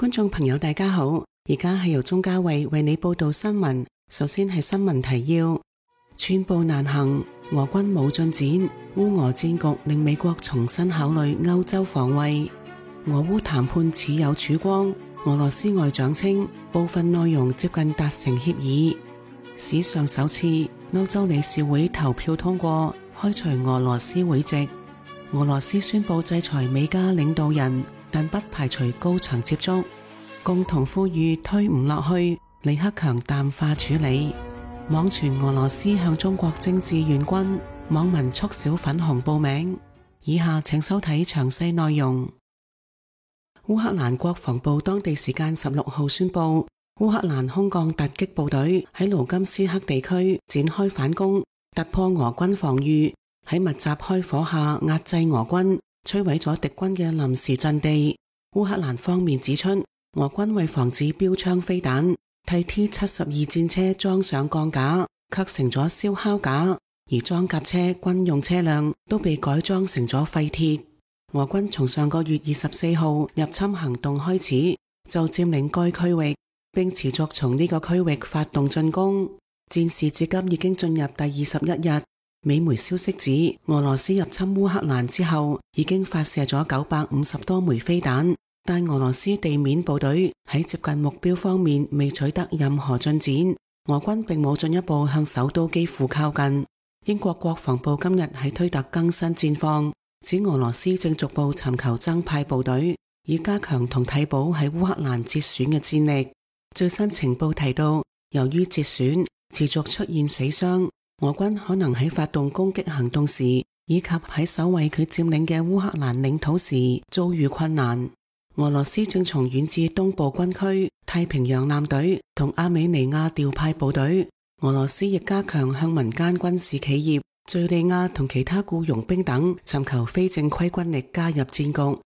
觀眾朋友大家好，而家係由鍾嘉慧為你報道新聞。首先係新聞提要：寸步難行，俄軍冇進展，烏俄戰局令美國重新考慮歐洲防衛。俄烏談判似有曙光，俄羅斯外長稱部分內容接近達成協議。史上首次，歐洲理事會投票通過開除俄羅斯會籍。俄羅斯宣布制裁美加領導人，但不排除高層接觸。共同呼籲推唔落去，李克強淡化處理。網傳俄羅斯向中國徵志願軍，網民促銷粉紅報名。以下請收睇詳細內容。烏克蘭國防部當地時間16號宣布，烏克蘭空降突擊部隊喺盧甘斯克地區展開反攻，突破俄軍防禦，喺密集開火下壓制俄軍，摧毀咗敵軍嘅臨時陣地。烏克蘭方面指出，俄軍為防止標槍飛彈，替 T-72 戰車裝上鋼架，卻成咗燒烤架，而裝甲車、軍用車輛都被改裝成咗廢鐵。俄軍從上個月24號入侵行動開始，就佔領該區域，並持續從呢個區域發動進攻。戰事至今已經進入第21日。美媒消息指，俄羅斯入侵烏克蘭之後，已經發射咗950多枚飛彈，但俄羅斯地面部隊喺接近目標方面未取得任何進展。俄軍並冇進一步向首都基輔靠近。英國國防部今日喺推特更新戰況，指俄羅斯正逐步尋求增派部隊，以加強同替補喺烏克蘭折損嘅戰力。最新情報提到，由於折損持續出現死傷，俄軍可能喺發動攻擊行動時，以及喺守衛佢佔領嘅烏克蘭領土時遭遇困難。俄羅斯正從遠至東部軍區、太平洋艦隊同阿美尼亞調派部隊。俄羅斯亦加強向民間軍事企業、敘利亞同其他僱傭兵等尋求非正規軍力加入戰局。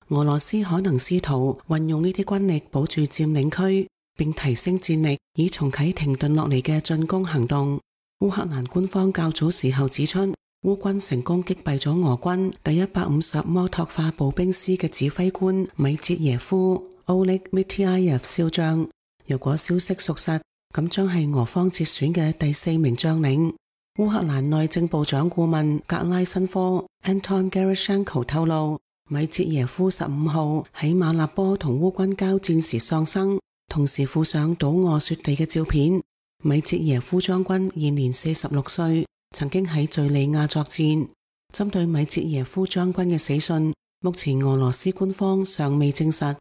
俄羅斯可能試圖運用呢啲軍力保住佔領區，並提升戰力，以重啟停頓落嚟嘅進攻行動。烏克蘭官方較早時候指出，烏軍成功擊斃咗俄軍第150摩托化步兵師嘅指揮官米捷耶夫 Oleg Mityayev 少將。如果消息屬實，咁將係俄方折損嘅第4名將領。烏克蘭內政部長顧問格拉申科 Anton Gerashenko 透露，米捷耶夫15號喺馬納波同烏軍交戰時喪生，同時附上倒臥雪地嘅照片。米捷耶夫將軍現年46歲，曾經喺敘利亞作戰。針對米捷耶夫將軍嘅死訊，目前俄羅斯官方尚未證實。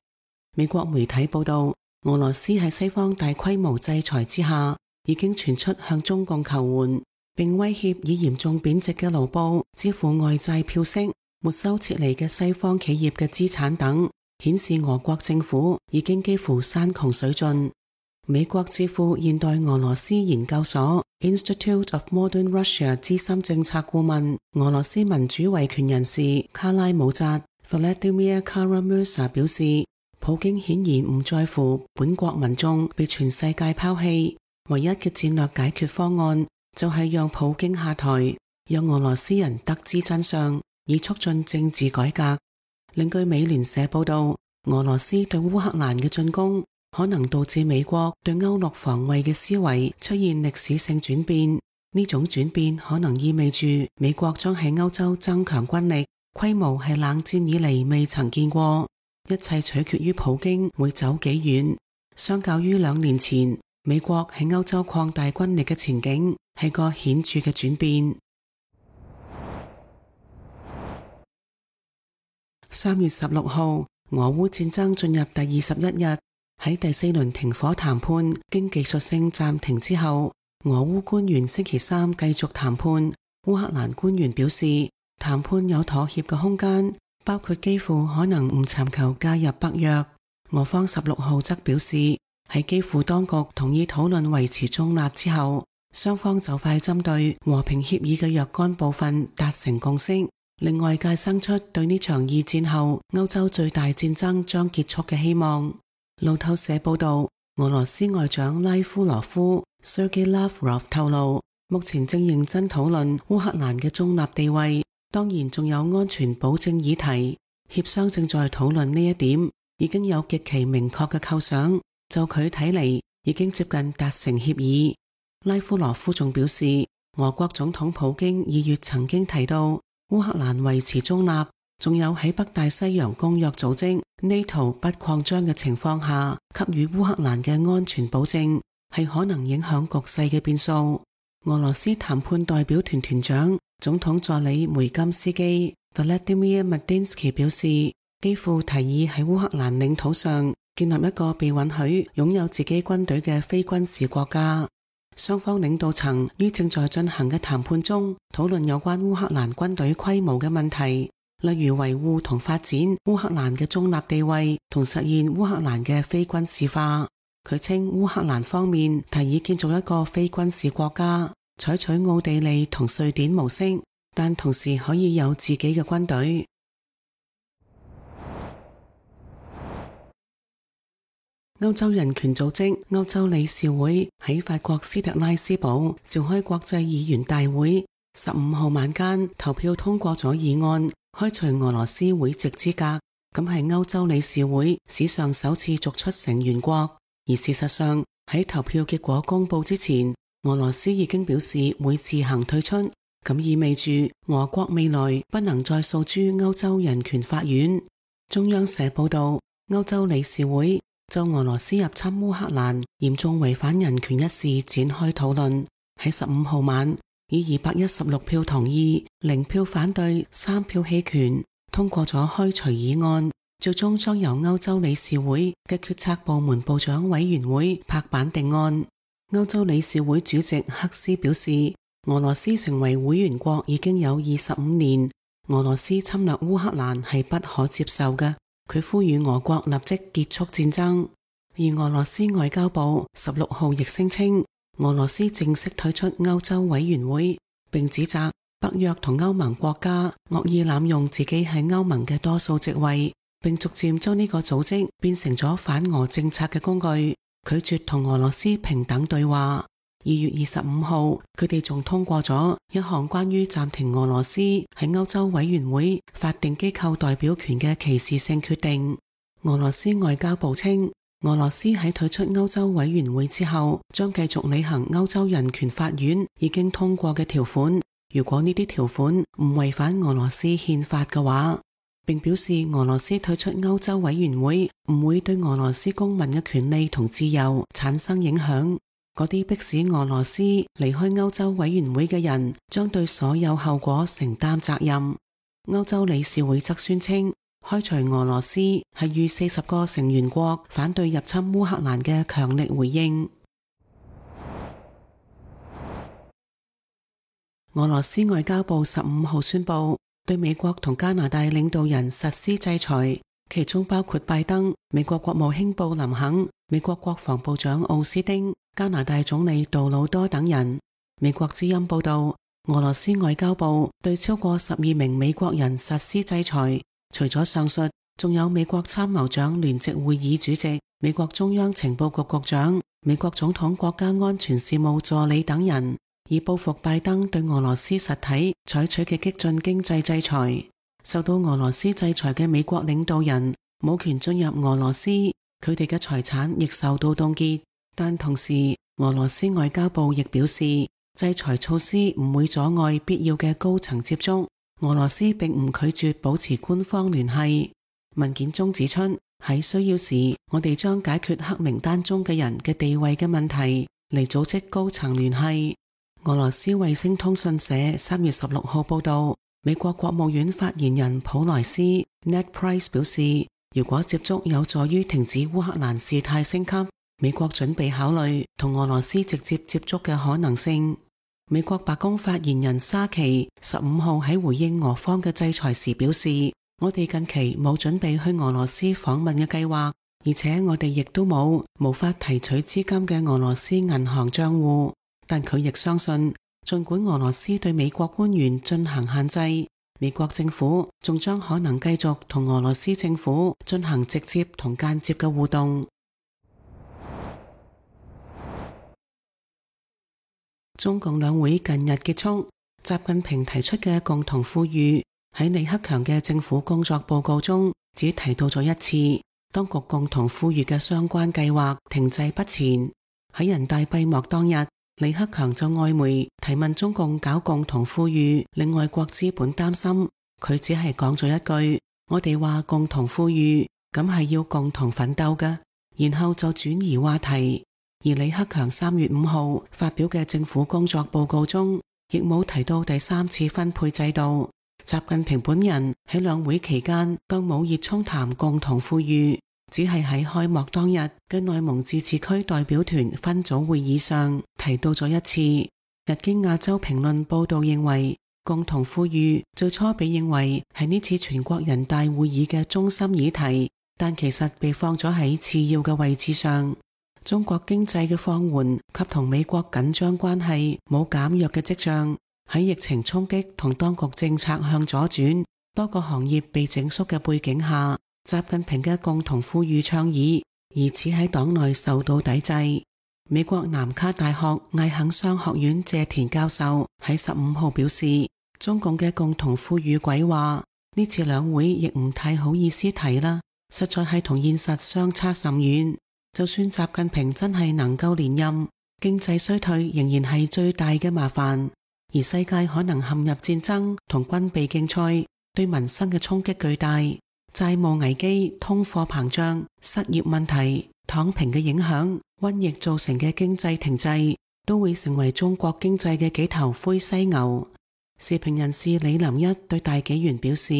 美國媒體報道，俄羅斯喺西方大規模制裁之下，已經傳出向中共求援，並威脅以嚴重貶值嘅盧布支付外債票息、沒收撤離嘅西方企業嘅資產等，顯示俄國政府已經幾乎山窮水盡。美國智庫現代俄羅斯研究所 Institute of Modern Russia 資深政策顧問、俄羅斯民主維權人士卡拉姆扎 Vladimir Kara-Murza 表示，普京顯然唔在乎本國民眾被全世界拋棄，唯一嘅戰略解決方案就係讓普京下台，讓俄羅斯人得知真相，以促進政治改革。另據美聯社報道，俄羅斯對烏克蘭嘅進攻可能導致美國對歐陸防衛嘅思維出現歷史性轉變，呢種轉變可能意味住美國將喺歐洲增強軍力，規模係冷戰以嚟未曾見過。一切取決於普京會走幾遠。相較於2年前，美國喺歐洲擴大軍力嘅前景係個顯著嘅轉變。3月16號，俄烏戰爭進入第21日。喺第4輪停火談判經技術性暫停之後，俄烏官員星期三繼續談判。烏克蘭官員表示，談判有妥協嘅空間，包括基輔可能唔尋求加入北約。俄方16號則表示，喺基輔當局同意討論維持中立之後，雙方就快針對和平協議嘅若干部分達成共識，令外界生出對呢場2戰後歐洲最大戰爭將結束嘅希望。路透社報道，俄羅斯外長拉夫羅夫 Sergei Lavrov 透露，目前正認真討論烏克蘭嘅中立地位，當然仲有安全保證議題，協商正在討論呢一點，已經有極其明確嘅構想，就佢睇嚟已經接近達成協議。拉夫羅夫仲表示，俄國總統普京2月曾經提到烏克蘭維持中立，仲有喺北大西洋公約組織 NATO 不擴張嘅情況下給予烏克蘭嘅安全保證，係可能影響局勢嘅變數。俄羅斯談判代表團團長總統助理梅金斯基 Vladimir Medinsky 表示，基輔提議喺烏克蘭領土上建立一個被允許擁有自己軍隊嘅非軍事國家。雙方領導層於正在進行嘅談判中討論有關烏克蘭軍隊規模嘅問題，例如維護同發展烏克蘭嘅中立地位同實現烏克蘭嘅非軍事化。佢稱烏克蘭方面提議建造一個非軍事國家，採取奧地利同瑞典模式，但同時可以有自己嘅軍隊。歐洲人權組織歐洲理事會喺法國斯特拉斯堡召開國際議員大會，15號晚間投票通過咗議案，開除俄羅斯會籍資格，咁係歐洲理事會史上首次逐出成員國。而事實上，喺投票結果公布之前，俄羅斯已經表示會自行退出，咁意味住俄國未來不能再訴諸歐洲人權法院。中央社報道，歐洲理事會就俄羅斯入侵烏克蘭嚴重違反人權一事展開討論，喺15號晚以216票同意、0票反對、3票棄權通過咗開除議案。最終將由歐洲理事會嘅決策部門部長委員會拍板定案。歐洲理事會主席克斯表示，俄羅斯成為會員國已經有25年，俄羅斯侵略烏克蘭係不可接受嘅。佢呼籲俄國立即結束戰爭。而俄羅斯外交部16號亦聲稱，俄羅斯正式退出歐洲委員會，並指責北約同歐盟國家惡意濫用自己喺歐盟嘅多數席位，並逐漸將呢個組織變成咗反俄政策嘅工具，拒絕同俄羅斯平等對話。2月25號，佢哋仲通過咗一項關於暫停俄羅斯喺歐洲委員會法定機構代表權嘅歧視性決定。俄羅斯外交部稱，俄羅斯喺退出歐洲委員會之後，將繼續履行歐洲人權法院已經通過嘅條款，如果呢啲條款唔違反俄羅斯憲法嘅話，並表示俄羅斯退出歐洲委員會唔會對俄羅斯公民嘅權利同自由產生影響。嗰啲迫使俄羅斯離開歐洲委員會嘅人將對所有後果承擔責任。歐洲理事會則宣稱，開除俄羅斯係與40個成員國反對入侵烏克蘭嘅強力回應。俄羅斯外交部15號宣布，對美國同加拿大領導人實施制裁，其中包括拜登、美國國務卿布林肯、美國國防部長奧斯汀、加拿大總理杜魯多等人。美國之音報道，俄羅斯外交部對超過12名美國人實施制裁，除咗上述，仲有美國參謀長聯席會議主席、美國中央情報局局長、美國總統國家安全事務助理等人，以報復拜登對俄羅斯實體採取嘅激進經濟制裁。受到俄羅斯制裁嘅美國領導人冇權進入俄羅斯，佢哋嘅財產亦受到凍結。但同時，俄羅斯外交部亦表示，制裁措施唔會阻礙必要嘅高層接觸。俄羅斯並唔拒絕保持官方聯繫。文件中指出，喺需要時，我哋將解決黑名單中嘅人嘅地位嘅問題，嚟組織高層聯繫。俄羅斯衛星通訊社3月16號報道，美國國務院發言人普萊斯 Ned Price 表示，如果接觸有助於停止烏克蘭事態升級，美國準備考慮同俄羅斯直接接觸嘅可能性。美國白宮發言人沙奇15號喺回應俄方嘅制裁時表示，我哋近期冇準備去俄羅斯訪問嘅計劃，而且我哋亦都冇無法提取資金嘅俄羅斯銀行賬戶。但佢亦相信，儘管俄羅斯對美國官員進行限制，美國政府仲將可能繼續同俄羅斯政府進行直接同間接嘅互動。中共兩會近日結束，習近平提出嘅共同富裕喺李克強嘅政府工作報告中只提到咗一次，當局共同富裕嘅相關計劃停滯不前。喺人大閉幕當日，李克強就外媒提問中共搞共同富裕令外國資本擔心，佢只係講咗一句：我哋話共同富裕，咁係要共同奮鬥㗎，然後就轉移話題。而李克強3月5號發表嘅政府工作報告中，亦冇提到第三次分配制度。習近平本人喺兩會期間更冇熱衷談共同富裕，只係喺開幕當日嘅內蒙自治區代表團分組會議上提到咗一次。日經亞洲評論報道認為，共同富裕最初被認為係呢次全國人大會議嘅中心議題，但其實被放咗喺次要嘅位置上。中國經濟嘅放緩及同美國緊張關係冇減弱嘅跡象，喺疫情衝擊同當局政策向左轉，多個行業被整縮嘅背景下，習近平嘅共同富裕倡議疑似喺黨內受到抵制。美國南卡大學艾肯商學院謝田教授喺15號表示，中共嘅共同富裕鬼話呢次兩會亦唔太好意思提啦，實在係同現實相差甚遠。就算習近平真係能夠連任，經濟衰退仍然係最大嘅麻煩，而世界可能陷入戰爭同軍備競賽，對民生嘅衝擊巨大。債務危機、通貨膨脹、失業問題、躺平嘅影響、瘟疫造成嘅經濟停滯，都會成為中國經濟嘅幾頭灰犀牛。時評人士李林一對大紀元表示，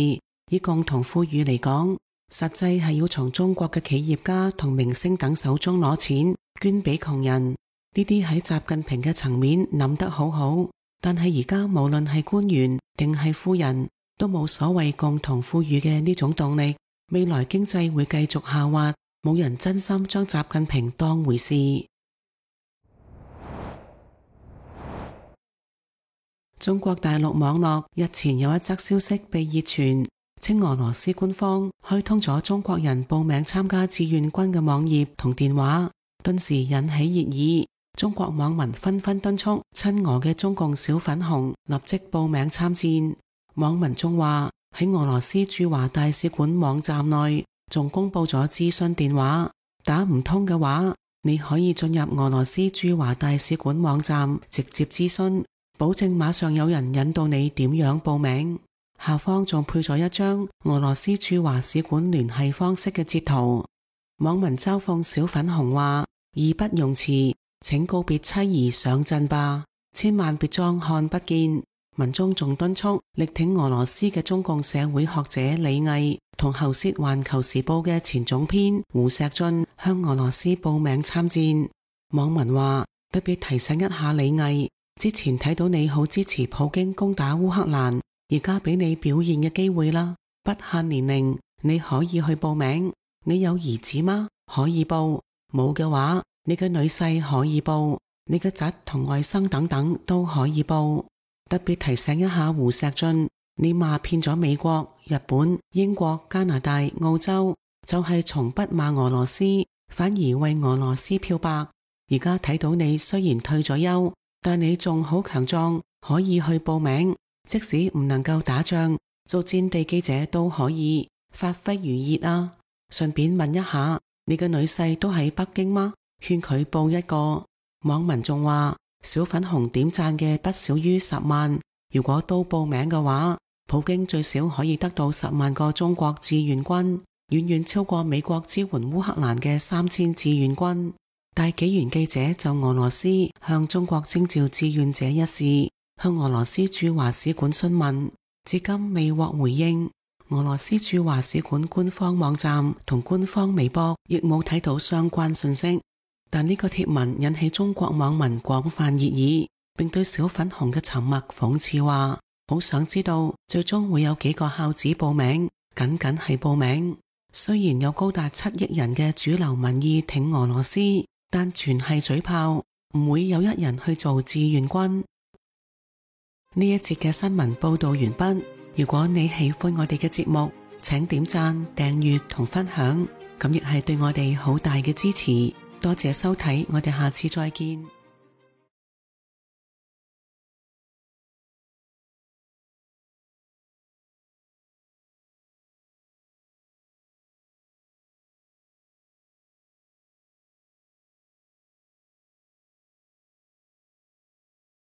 以共同富裕嚟講，實際係要從中國嘅企業家同明星等手中攞錢捐俾窮人。呢啲喺習近平嘅層面諗得好好，但係而家無論係官員定係富人，都冇所謂共同富裕嘅呢種動力。未來經濟會繼續下滑，冇人真心將習近平當回事。中國大陸網絡日前有一則消息被熱傳，稱俄羅斯官方開通咗中國人報名參加志願軍嘅網頁同電話，頓時引起熱議。中國網民紛紛敦促親俄嘅中共小粉紅立即報名參戰。網民仲話喺俄羅斯駐華大使館網站內仲公布咗諮詢電話，打唔通嘅話，你可以進入俄羅斯駐華大使館網站直接諮詢，保證馬上有人引導你點樣報名。下方仲配咗一張俄羅斯駐華使館聯繫方式嘅截圖。網民嘲諷小粉紅話：義不容辭，請告別妻兒上陣吧，千萬別裝看不見。文中仲敦促力挺俄羅斯嘅中共社會學者李毅同喉舌環球時報嘅前總編胡錫進向俄羅斯報名參戰。網民話：特別提醒一下李毅，之前睇到你好支持普京攻打烏克蘭，而家俾你表現嘅機會啦，不限年齡，你可以去報名。你有兒子嗎？可以報。冇嘅話，你嘅女婿可以報，你嘅侄同外甥等等都可以報。特別提醒一下胡錫進，你罵騙咗美國、日本、英國、加拿大、澳洲，就係從不罵俄羅斯，反而為俄羅斯漂白。而家睇到你雖然退咗休，但你仲好強壯，可以去報名。即使唔能夠打仗，做戰地記者都可以，發揮餘熱啊！順便問一下，你嘅女婿都喺北京嗎？勸佢報一個。網民仲話，小粉紅點讚嘅不少於10萬，如果都報名嘅話，普京最少可以得到10萬個中國志願軍，遠遠超過美國支援烏克蘭嘅3000志願軍。大紀元記者就俄羅斯向中國徵召志願者一事，向俄羅斯駐華使館詢問，至今未獲回應。俄羅斯駐華使館官方網站同官方微博亦冇睇到相關信息。但呢個貼文引起中國網民廣泛熱議，並對小粉紅嘅沉默諷刺話：好想知道最終會有幾個孝子報名，僅僅係報名。雖然有高達7億人嘅主流民意挺俄羅斯，但全係嘴炮，唔會有一人去做志願軍。呢一節嘅新聞報道完畢。如果你喜歡我哋嘅節目，請點讚、訂閱同分享，咁亦係對我哋好大嘅支持。多謝收睇，我哋下次再見。